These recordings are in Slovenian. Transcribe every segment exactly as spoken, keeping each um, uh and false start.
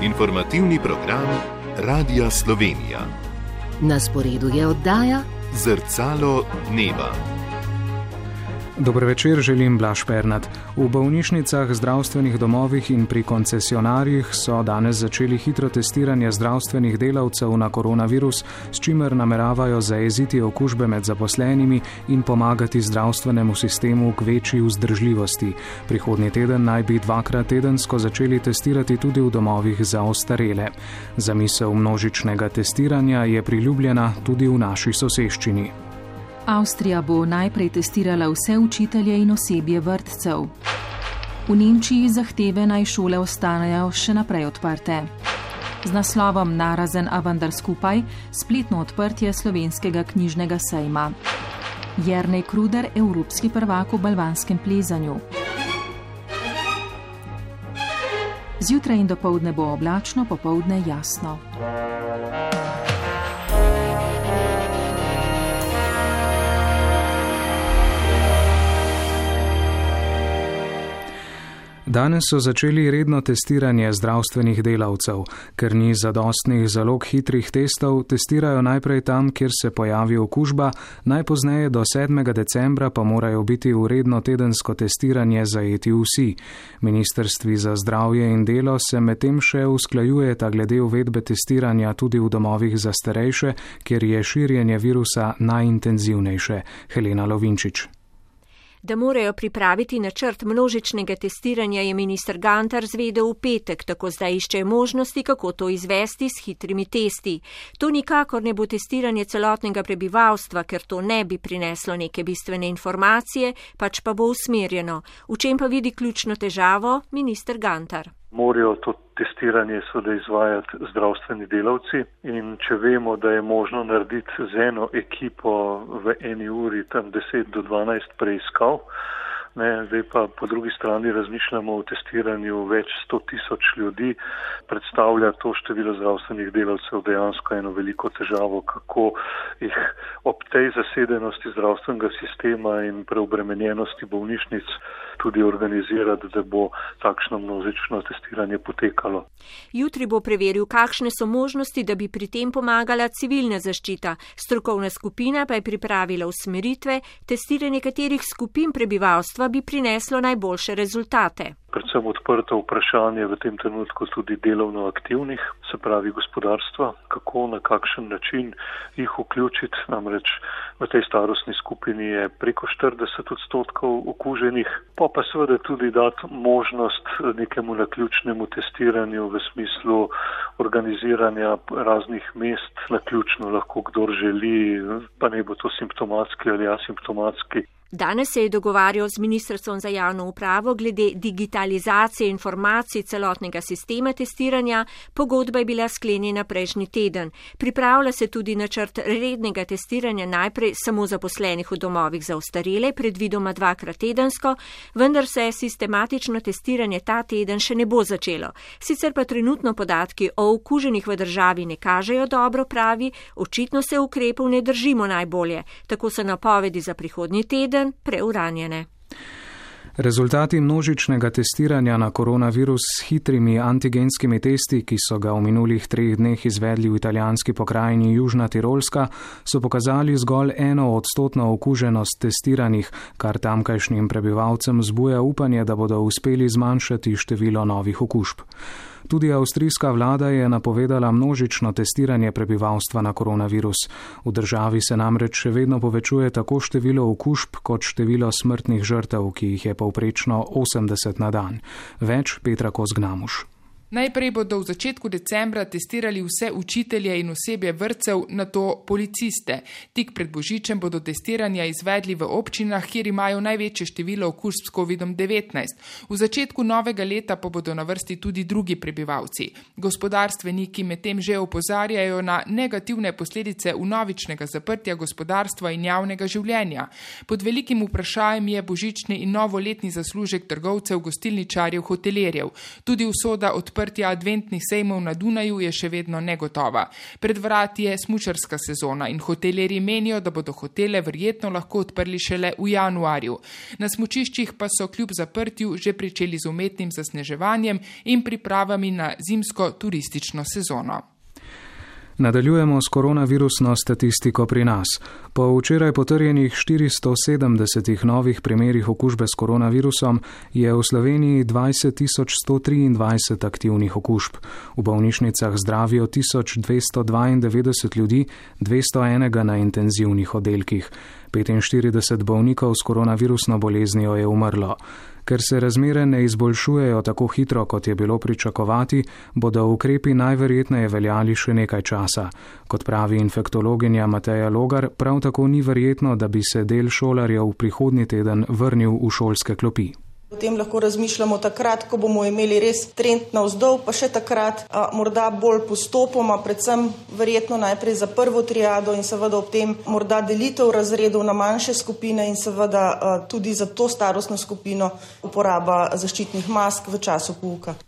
Informativni program Radia Slovenija. Na sporedu je oddaja Zrcalo dneva. Dober večer, želim Blaž Pernat. V bolnišnicah, zdravstvenih domovih in pri koncesionarjih so danes začeli hitro testiranje zdravstvenih delavcev na koronavirus, s čimer nameravajo zajeziti okužbe med zaposlenimi in pomagati zdravstvenemu sistemu k večji vzdržljivosti. Prihodnji teden naj bi dvakrat tedensko začeli testirati tudi v domovih za ostarele. Zamisel množičnega testiranja je priljubljena tudi v naši soseščini. Avstrija bo najprej testirala vse učitelje in osebje vrtcev. V Nemčiji zahteve naj šole ostanejo še naprej odprte. Z naslovom Narazen, a vendar skupaj, spletno odprtje slovenskega knjižnega sejma. Jernej Kruder, evropski prvak v balvanskem plezanju. Zjutraj in dopoldne bo oblačno, popoldne jasno. Danes so začeli redno testiranje zdravstvenih delavcev. Ker ni zadostnih zalog hitrih testov, testirajo najprej tam, kjer se pojavi okužba, najpozneje do sedmega decembra pa morajo biti v redno tedensko testiranje zajeti vsi. Ministrstvi za zdravje in delo se medtem še usklajujeta glede uvedbe testiranja tudi v domovih za starejše, kjer je širjenje virusa najintenzivnejše. Helena Lovinčič. Da morajo pripraviti načrt množičnega testiranja, je minister Gantar zvedel v petek, tako zdaj iščejo možnosti, kako to izvesti s hitrimi testi. To nikakor ne bo testiranje celotnega prebivalstva, ker to ne bi prineslo neke bistvene informacije, pač pa bo usmerjeno. V čem pa vidi ključno težavo minister Gantar? Morajo to testiranje seveda izvajati zdravstveni delavci in če vemo, da je možno narediti z eno ekipo v eni uri tam deset do dvanajst preiskav, ne, zdaj pa po drugi strani razmišljamo o testiranju več sto tisoč ljudi, predstavlja to število zdravstvenih delavcev dejansko eno veliko težavo, kako jih ob tej zasedenosti zdravstvenega sistema in preobremenjenosti bolnišnic tudi organizirati, da bo takšno množično testiranje potekalo. Jutri bo preveril, kakšne so možnosti, da bi pri tem pomagala civilna zaščita. Strokovna skupina pa je pripravila usmeritve, testiranje katerih skupin prebivalstva bi prineslo najboljše rezultate. Predvsem odprto vprašanje v tem trenutku tudi delovno aktivnih, se pravi gospodarstva, kako, na kakšen način jih vključiti, namreč v tej starostni skupini je preko štirideset odstotkov okuženih, pa pa seveda tudi dati možnost nekemu naključnemu testiranju v smislu organiziranja raznih mest, naključno lahko kdor želi, pa ne bo to simptomatski ali asimptomatski. Danes se je dogovarjal z Ministrstvom za javno upravo glede digitalizacije informacij celotnega sistema testiranja. Pogodba je bila sklenjena prejšnji teden. Pripravlja se tudi načrt rednega testiranja najprej samo zaposlenih v domovih za ostarele, predvidoma dvakrat tedensko, vendar se sistematično testiranje ta teden še ne bo začelo. Sicer pa trenutno podatki o okuženih v državi ne kažejo dobro, pravi, očitno se ukrepov ne držimo najbolje. Tako so napovedi za prihodnji teden preuranjene. Rezultati množičnega testiranja na koronavirus s hitrimi antigenskimi testi, ki so ga v minulih treh dneh izvedli v italijanski pokrajini Južna Tirolska, so pokazali zgolj eno odstotno okuženost testiranih, kar tamkajšnjim prebivalcem zbuja upanje, da bodo uspeli zmanjšati število novih okužb. Tudi avstrijska vlada je napovedala množično testiranje prebivalstva na koronavirus. V državi se namreč še vedno povečuje tako število okužb kot število smrtnih žrtev, ki jih je povprečno osemdeset na dan. Več Petra Kozgnamuš. Najprej bodo v začetku decembra testirali vse učitelje in osebje vrtcev, nato policiste. Tik pred božičem bodo testiranja izvedli v občinah, kjer imajo največje število okužb s kovidom devetnajst. V začetku novega leta pa bodo na vrsti tudi drugi prebivalci. Gospodarstveniki medtem že opozarjajo na negativne posledice vnovičnega zaprtja gospodarstva in javnega življenja. Pod velikim vprašanjem je božični in novoletni zaslužek trgovcev, gostilničarjev, hotelirjev. Tudi usoda od odprtja adventnih sejmov na Dunaju je še vedno negotova. Pred vrati je smučarska sezona in hotelirji menijo, da bodo hotele verjetno lahko odprli šele v januarju. Na smučiščih pa so kljub zaprtju že pričeli z umetnim zasneževanjem in pripravami na zimsko turistično sezono. Nadaljujemo s koronavirusno statistiko pri nas. Po včeraj potrjenih štiristo sedemdesetih novih primerih okužbe s koronavirusom je v Sloveniji dvajset tisoč sto triindvajset aktivnih okužb. V bolnišnicah zdravijo tisoč dvesto dvaindevetdeset ljudi, dvesto enega na intenzivnih oddelkih. petinštirideset bolnikov s koronavirusno boleznijo je umrlo. Ker se razmere ne izboljšujejo tako hitro, kot je bilo pričakovati, bodo ukrepi najverjetneje veljali še nekaj časa. Kot pravi infektologinja Mateja Logar, prav tako ni verjetno, da bi se del šolarjev prihodnji teden vrnil v šolske klopi. Potem lahko razmišljamo takrat, ko bomo imeli res trend navzdol, pa še takrat a, morda bolj postopoma, predvsem verjetno najprej za prvo triado in seveda ob tem morda delitev razredov na manjše skupine in seveda a, tudi za to starostno skupino uporaba zaščitnih mask v času pouka.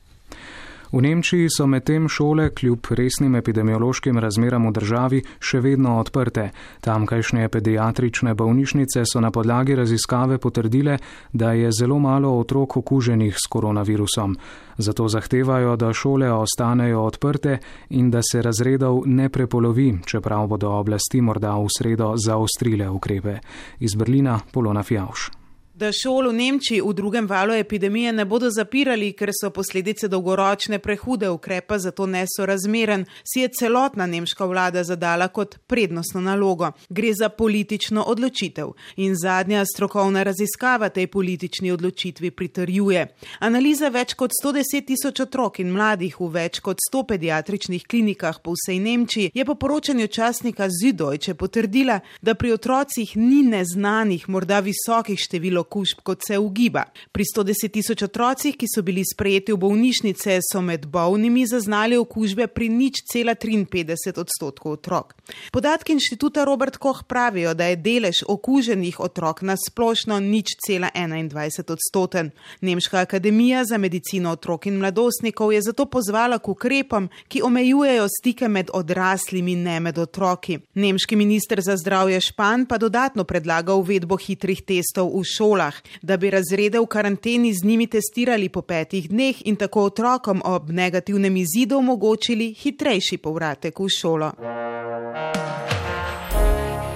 V Nemčiji so medtem šole kljub resnim epidemiološkim razmeram v državi še vedno odprte. Tamkajšnje pediatrične bolnišnice so na podlagi raziskave potrdile, da je zelo malo otrok okuženih s koronavirusom. Zato zahtevajo, da šole ostanejo odprte in da se razredov ne prepolovi, čeprav bodo oblasti morda v sredo zaostrile ukrepe. Iz Berlina Polona Fjauš. Da šol v Nemčiji v drugem valu epidemije ne bodo zapirali, ker so posledice dolgoročne prehude ukrepa, zato nesorazmeren, si je celotna nemška vlada zadala kot prednostno nalogo. Gre za politično odločitev in zadnja strokovna raziskava tej politični odločitvi pritrjuje. Analiza več kot sto deset tisoč otrok in mladih v več kot sto pediatričnih klinikah po vsej Nemčiji je po poročanju časnika Süddeutsche potrdila, da pri otrocih ni neznanih, morda visokih število okužb, kot se ugiba. Pri sto deset tisoč otrocih, ki so bili sprejeti v bolnišnice, so med bolnimi zaznali okužbe pri nič cela triinpetdeset odstotkov otrok. Podatki inštituta Robert Koch pravijo, da je delež okuženih otrok na splošno nič cela enaindvajset odstoten. Nemška akademija za medicino otrok in mladostnikov je zato pozvala k ukrepom, ki omejujejo stike med odraslimi, ne med otroki. Nemški minister za zdravje Špan pa dodatno predlaga uvedbo hitrih testov v šolah, da bi razrede v karanteni z njimi testirali po petih dneh in tako otrokom ob negativnem izidu omogočili hitrejši povratek v šolo.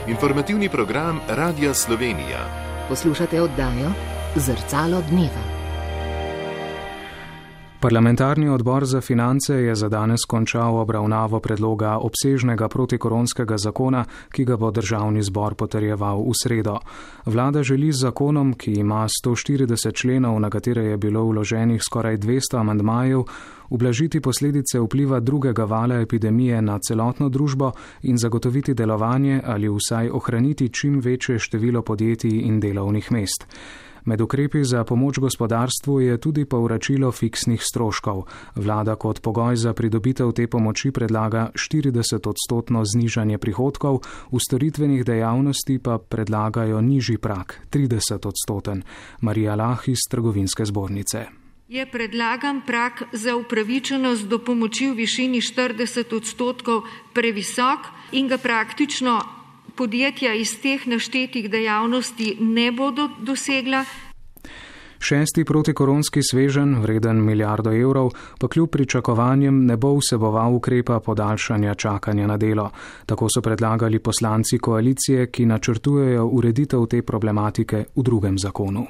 Informativni program Radia Slovenija. Poslušate oddajo Zrcalo dneva. Parlamentarni odbor za finance je za danes končal obravnavo predloga obsežnega protikoronskega zakona, ki ga bo državni zbor potrjeval v sredo. Vlada želi z zakonom, ki ima sto štirideset členov, na katere je bilo vloženih skoraj dvesto amandmajev, ublažiti posledice vpliva drugega vala epidemije na celotno družbo in zagotoviti delovanje ali vsaj ohraniti čim večje število podjetij in delovnih mest. Med ukrepi za pomoč gospodarstvu je tudi povračilo fiksnih stroškov. Vlada kot pogoj za pridobitev te pomoči predlaga štirideset odstotno znižanje prihodkov, v storitvenih dejavnosti pa predlagajo nižji prag, trideset odstoten. Marija Lah iz Trgovinske zbornice. Je predlagan prag za upravičenost do pomoči v višini štirideset odstotkov previsok in ga praktično podjetja iz teh naštetih dejavnosti ne bodo dosegla. Šesti protikoronski sveženj, vreden milijardo evrov, pa kljub pričakovanjem ne bo vseboval ukrepa podaljšanja čakanja na delo. Tako so predlagali poslanci koalicije, ki načrtujejo ureditev te problematike v drugem zakonu.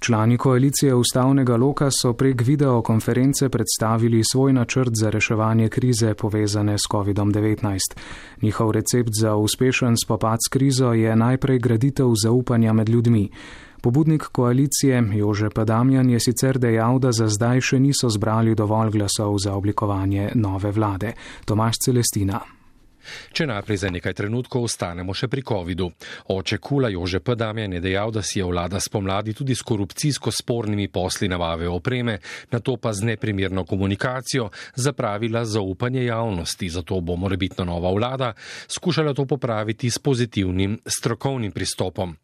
Člani koalicije ustavnega loka so prek videokonference predstavili svoj načrt za reševanje krize povezane s kovidom devetnajst. Njihov recept za uspešen spopad s krizo je najprej graditev zaupanja med ljudmi. Pobudnik koalicije Jože P. Damjan je sicer dejal, da za zdaj še niso zbrali dovolj glasov za oblikovanje nove vlade. Tomaž Celestina. Če najprej za nekaj trenutkov ostanemo še pri covidu. Oče Kula Jože P. Damjan je dejal, da si je vlada spomladi tudi s korupcijsko spornimi posli nabave opreme, nato pa z neprimerno komunikacijo zapravila zaupanje javnosti, zato bo morebitna nova vlada skušala to popraviti s pozitivnim strokovnim pristopom.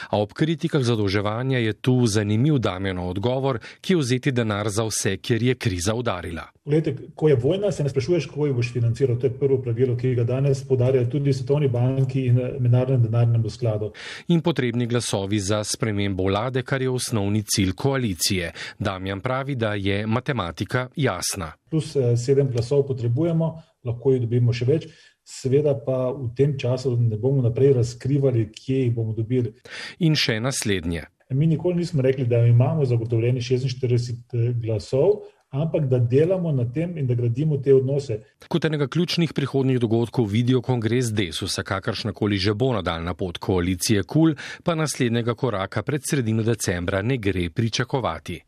A ob kritikah zadolževanja je tu zanimiv Damjanov odgovor, ki je vzeti denar za vse, ker je kriza udarila. Glede, ko je vojna, se ne sprašuješ, kako jo boš financiral. To je prvo pravilo, ki ga danes podarjajo tudi Svetovni banki in Mednarodnem denarnem skladu. In potrebni glasovi za spremembo vlade, kar je osnovni cilj koalicije. Damjan pravi, da je matematika jasna. Plus sedem glasov potrebujemo, lahko jih dobimo še več. Seveda pa v tem času ne bomo naprej razkrivali, kje jih bomo dobili. In še naslednje. Mi nikoli nismo rekli, da imamo zagotovljeni šestinštirideset glasov, ampak da delamo na tem in da gradimo te odnose. Kot enega ključnih prihodnjih dogodkov vidijo kongres Desusa, kakršnakoli že bo nadaljna pot koalicije KUL, pa naslednjega koraka pred sredino decembra ne gre pričakovati.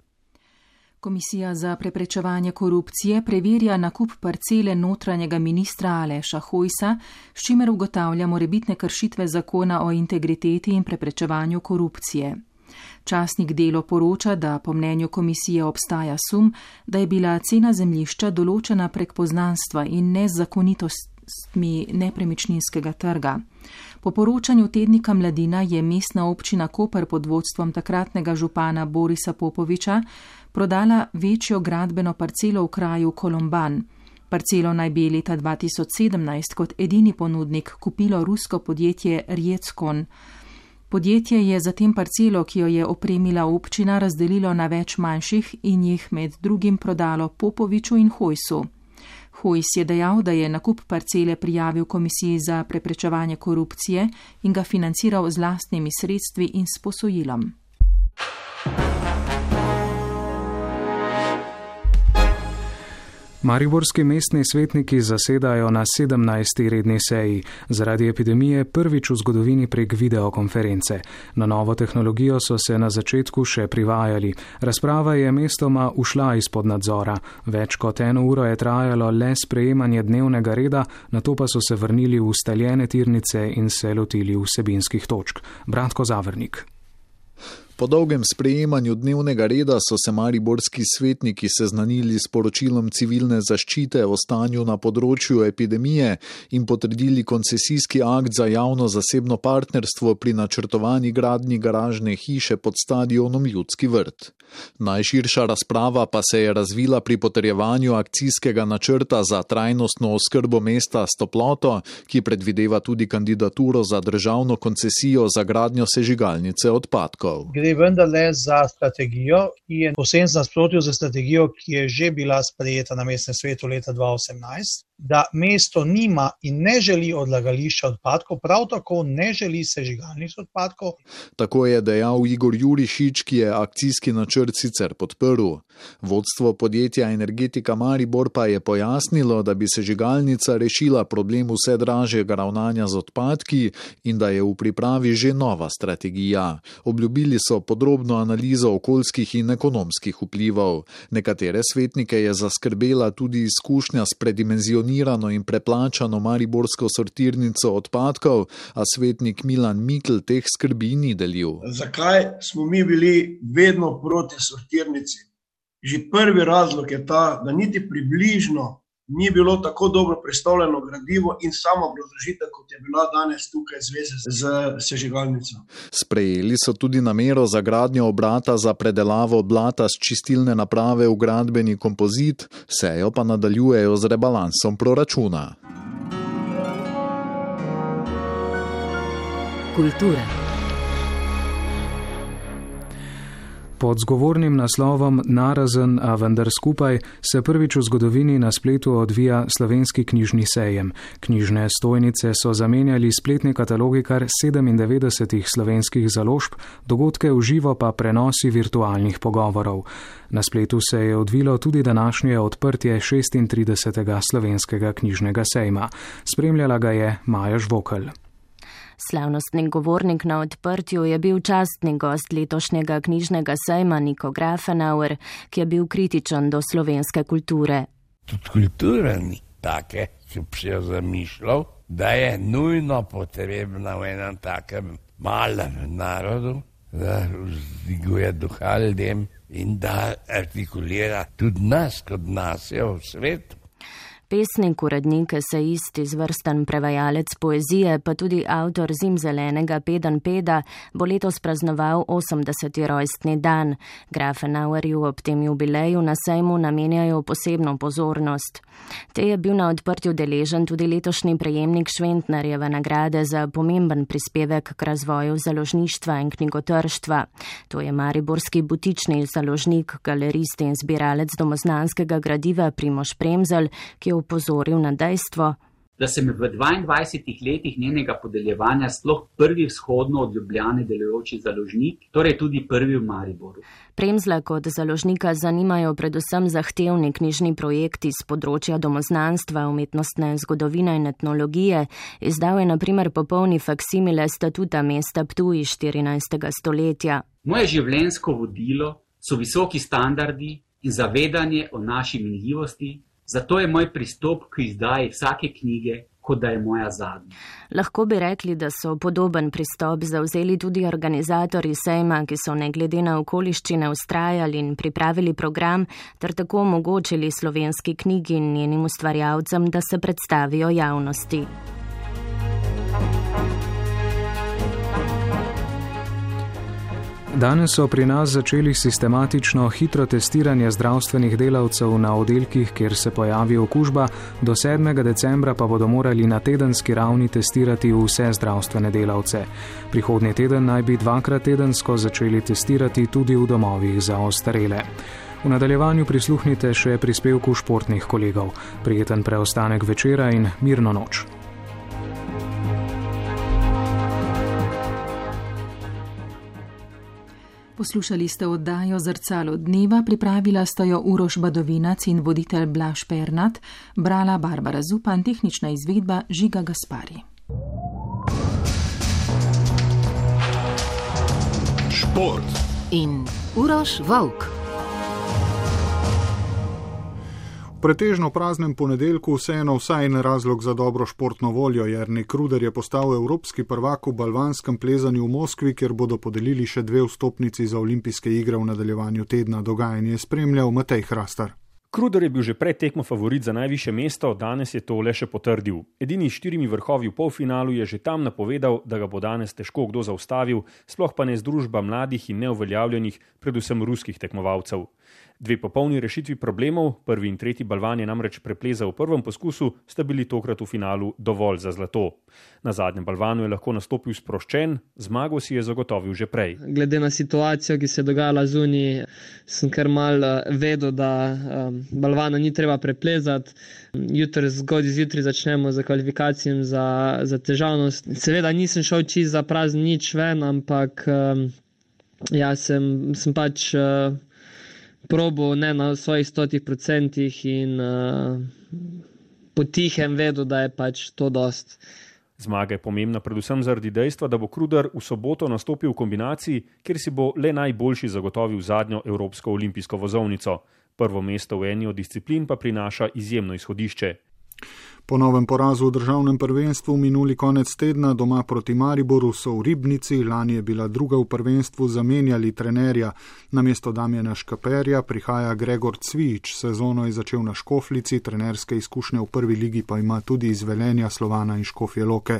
Komisija za preprečevanje korupcije preverja nakup parcele notranjega ministra Aleša Hojsa, s čimer ugotavlja morebitne kršitve zakona o integriteti in preprečevanju korupcije. Časnik Delo poroča, da po mnenju komisije obstaja sum, da je bila cena zemljišča določena prek poznanstva in nezakonitostmi nepremičninskega trga. Po poročanju tednika Mladina je mestna občina Koper pod vodstvom takratnega župana Borisa Popoviča prodala večjo gradbeno parcelo v kraju Kolomban. Parcelo naj bi leta dva tisoč sedemnajst kot edini ponudnik kupilo rusko podjetje Rjetskon. Podjetje je zatem parcelo, ki jo je opremila občina, razdelilo na več manjših in jih med drugim prodalo Popoviču in Hojsu. Hojs je dejal, da je nakup parcele prijavil Komisiji za preprečevanje korupcije in ga financiral z lastnimi sredstvi in s posojilom. Mariborski mestni svetniki zasedajo na sedemnajsti redni seji, zaradi epidemije prvič v zgodovini prek videokonference. Na novo tehnologijo so se na začetku še privajali. Razprava je mestoma ušla izpod nadzora. Več kot eno uro je trajalo le sprejemanje dnevnega reda, nato pa so se vrnili v ustaljene tirnice in se lotili vsebinskih točk. Bratko Zavrnik. Po dolgem sprejemanju dnevnega reda so se mariborski svetniki seznanili s poročilom civilne zaščite o stanju na področju epidemije in potrdili koncesijski akt za javno-zasebno partnerstvo pri načrtovani gradnji garažne hiše pod stadionom Ljudski vrt. Najširša razprava pa se je razvila pri potrjevanju akcijskega načrta za trajnostno oskrbo mesta s toploto, ki predvideva tudi kandidaturo za državno koncesijo za gradnjo sežigalnice odpadkov. Gre vendarle za strategijo, ki je povsem v nasprotju z strategijo, ki je že bila sprejeta na mestnem svetu leta dva tisoč osemnajst, da mesto nima in ne želi odlagališča odpadkov, prav tako ne želi sežigalnic odpadkov. Tako je dejal Igor Jurišič, ki je akcijski načrt sicer podprl. Vodstvo podjetja Energetika Maribor pa je pojasnilo, da bi sežigalnica rešila problem vse dražjega ravnanja z odpadki in da je v pripravi že nova strategija. Obljubili so podrobno analizo okoljskih in ekonomskih vplivov. Nekatere svetnike je zaskrbela tudi izkušnja s predimenzionirano in preplačano mariborsko sortirnico odpadkov, a svetnik Milan Mikl teh skrbi ni delil. Zakaj smo mi bili vedno proti sortirnici? Že prvi razlog je ta, da niti približno ni bilo tako dobro predstavljeno gradivo in sama obrazložitev, kot je bila danes tukaj zveze z sežigalnico. Sprejeli so tudi namero za gradnjo obrata za predelavo blata s čistilne naprave v gradbeni kompozit, sejo pa nadaljujejo z rebalansom proračuna. Kultura. Pod zgovornim naslovom Narazen, a vendar skupaj se prvič v zgodovini na spletu odvija slovenski knjižni sejem. Knjižne stojnice so zamenjali spletni katalogi kar sedemindevetdesetih slovenskih založb, dogodke v živo pa prenosi virtualnih pogovorov. Na spletu se je odvilo tudi današnje odprtje šestintridesetega slovenskega knjižnega sejma. Spremljala ga je Maja Žvokelj. Slavnostni govornik na odprtju je bil častni gost letošnjega knjižnega sejma Niko Grafenauer, ki je bil kritičen do slovenske kulture. Tudi kultura ni take, če bi se jo zamišljal, da je nujno potrebna v enem takem malem narodu, da vzdiguje duha ljudem in da artikulira tudi nas kot nacijo v svetu. Pesnik, urednik, esejist, izvrsten prevajalec poezije, pa tudi avtor Zimzelenega Pedenjpeda bo letos praznoval osemdeseti rojstni dan. Grafenauerju ob tem jubileju na sejmu namenjajo posebno pozornost. Te je bil na odprtju deležen tudi letošnji prejemnik Šventnerjeve nagrade za pomemben prispevek k razvoju založništva in knjigotrštva. To je mariborski butični založnik, galerist in zbiralec domoznanskega gradiva Primož Premzelj, ki je upozoril na dejstvo, da sem v dvaindvajsetih letih njenega podeljevanja sploh prvi vzhodno od Ljubljane delujoči založnik, torej tudi prvi v Mariboru. Premzla kot založnika zanimajo predvsem zahtevni knjižni projekti z področja domoznanstva, umetnostne zgodovine in etnologije. Izdal je na primer popolni faksimile statuta mesta Ptuj iz štirinajstega stoletja. Moje življenjsko vodilo so visoki standardi in zavedanje o naši minljivosti, zato je moj pristop k izdaji vsake knjige, kot da je moja zadnja. Lahko bi rekli, da so podoben pristop zavzeli tudi organizatorji sejma, ki so ne glede na okoliščine vztrajali in pripravili program, ter tako omogočili slovenski knjigi in njenim ustvarjalcem, da se predstavijo javnosti. Danes so pri nas začeli sistematično hitro testiranje zdravstvenih delavcev na oddelkih, kjer se pojavi okužba, do sedmega decembra pa bodo morali na tedenski ravni testirati vse zdravstvene delavce. Prihodnji teden naj bi dvakrat tedensko začeli testirati tudi v domovih za ostarele. V nadaljevanju prisluhnite še prispevku športnih kolegov. Prijeten preostanek večera in mirno noč. Poslušali ste oddajo Zrcalo dneva, pripravila sta jo Uroš Badovinac in voditelj Blaž Pernat, brala Barbara Zupan, tehnična izvedba Žiga Gaspari. Šport in Uroš Volk. V pretežno praznem ponedeljku vseeno vsaj en razlog za dobro športno voljo. Jernej Kruder je postal evropski prvak v balvanskem plezanju v Moskvi, kjer bodo podelili še dve vstopnici za olimpijske igre v nadaljevanju tedna. Dogajanje je spremljal Matej Hrastar. Kruder je bil že pred tekmo favorit za najvišje mesto, danes je to le še potrdil. Edini s štirimi vrhovi v polfinalu je že tam napovedal, da ga bo danes težko kdo zaustavil, sploh pa ne združba mladih in neuveljavljenih, predvsem ruskih tekmovalcev. Dve popolni rešitvi problemov, prvi in tretji balvan je namreč preplezal v prvem poskusu, sta bili tokrat v finalu dovolj za zlato. Na zadnjem balvanu je lahko nastopil sproščen, zmago si je zagotovil že prej. Glede na situacijo, ki se je dogajala zunaj, sem kar mal vedel, da um, balvana ni treba preplezati. Jutri zgodaj zjutraj začnemo za kvalifikacijami za, za težavnost. Seveda nisem šel čisto za prazen nič ven, ampak um, ja, sem, sem pač uh, probo ne na svojih stotih procentih in uh, potihem vedel, da je pač to dost. Zmaga je pomembna predvsem zaradi dejstva, da bo Kruder v soboto nastopil v kombinaciji, kjer si bo le najboljši zagotovil zadnjo evropsko olimpijsko vozovnico. Prvo mesto v eni od disciplin pa prinaša izjemno izhodišče. Po novem porazu v državnem prvenstvu minuli konec tedna doma proti Mariboru so v Ribnici, lani je bila druga v prvenstvu, zamenjali trenerja. Namesto Damjana Škaperja prihaja Gregor Cvijič, sezono je začel na Škoflici, trenerske izkušnje v prvi ligi pa ima tudi iz Velenja, Slovana in Škofje Loke.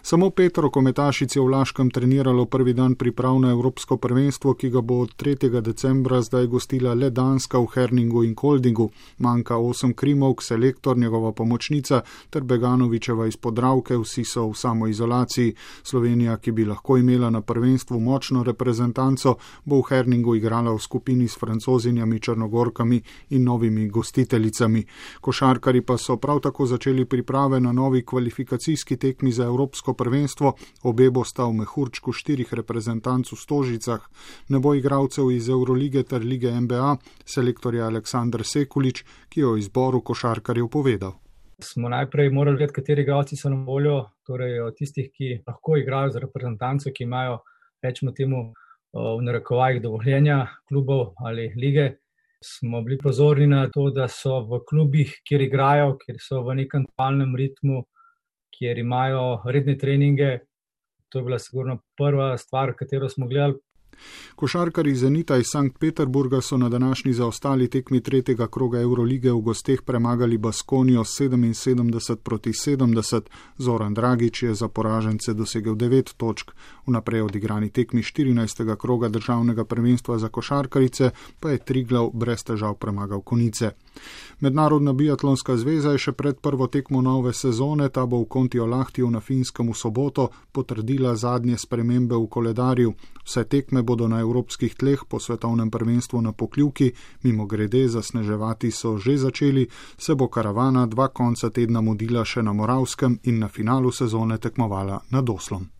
Samo pet rokometašic je v Laškem treniralo prvi dan priprav na evropsko prvenstvo, ki ga bo od tretjega decembra zdaj gostila le Danska v Herningu in Koldingu. Manjka osem krimovk, selektor, njegova pomočnica ter Beganovičeva iz Podravke, vsi so v samoizolaciji. Slovenija, ki bi lahko imela na prvenstvu močno reprezentanco, bo v Herningu igrala v skupini s Francozinjami, Črnogorkami in novimi gostiteljicami. Košarkari pa so prav tako začeli priprave na novi kvalifikacijski tekmi za evropsko prvenstvo. Obe bosta v mehurčku štirih reprezentanc v Stožicah. Ne bo igralcev iz Eurolige ter lige N B A, selektor je Aleksandar Sekulič, ki je o izboru košarkarjev povedal. Smo najprej morali vedeti, kateri igralci so na voljo, torej od tistih, ki lahko igrajo za reprezentanco, ki imajo, rečemo temu, v narekovajih dovoljenja klubov ali lige. Smo bili pozorni na to, da so v klubih, kjer igrajo, kjer so v nekem palnem ritmu, kjer imajo redne treninge. To je bila sigurno prva stvar, katero smo gledali. Košarkarji Zenita iz Sankt Peterburga so na današnji zaostali tekmi tretjega kroga Eurolige v gosteh premagali Baskonijo sedeminsedemdeset proti sedemdeset. Zoran Dragič je za poražence dosegel devet točk. Vnaprej odigrani tekmi štirinajstega kroga državnega prvenstva za košarkarice pa je Triglav brez težav premagal Konice. Mednarodna biatlonska zveza je še pred prvo tekmo nove sezone, ta bo v Kontiolahtiju na Finskem v soboto, potrdila zadnje spremembe v koledarju. Vse tekme bodo na evropskih tleh po svetovnem prvenstvu na Pokljuki, mimo grede zasneževati so že začeli, se bo karavana dva konca tedna mudila še na Moravskem in na finalu sezone tekmovala nad Oslom.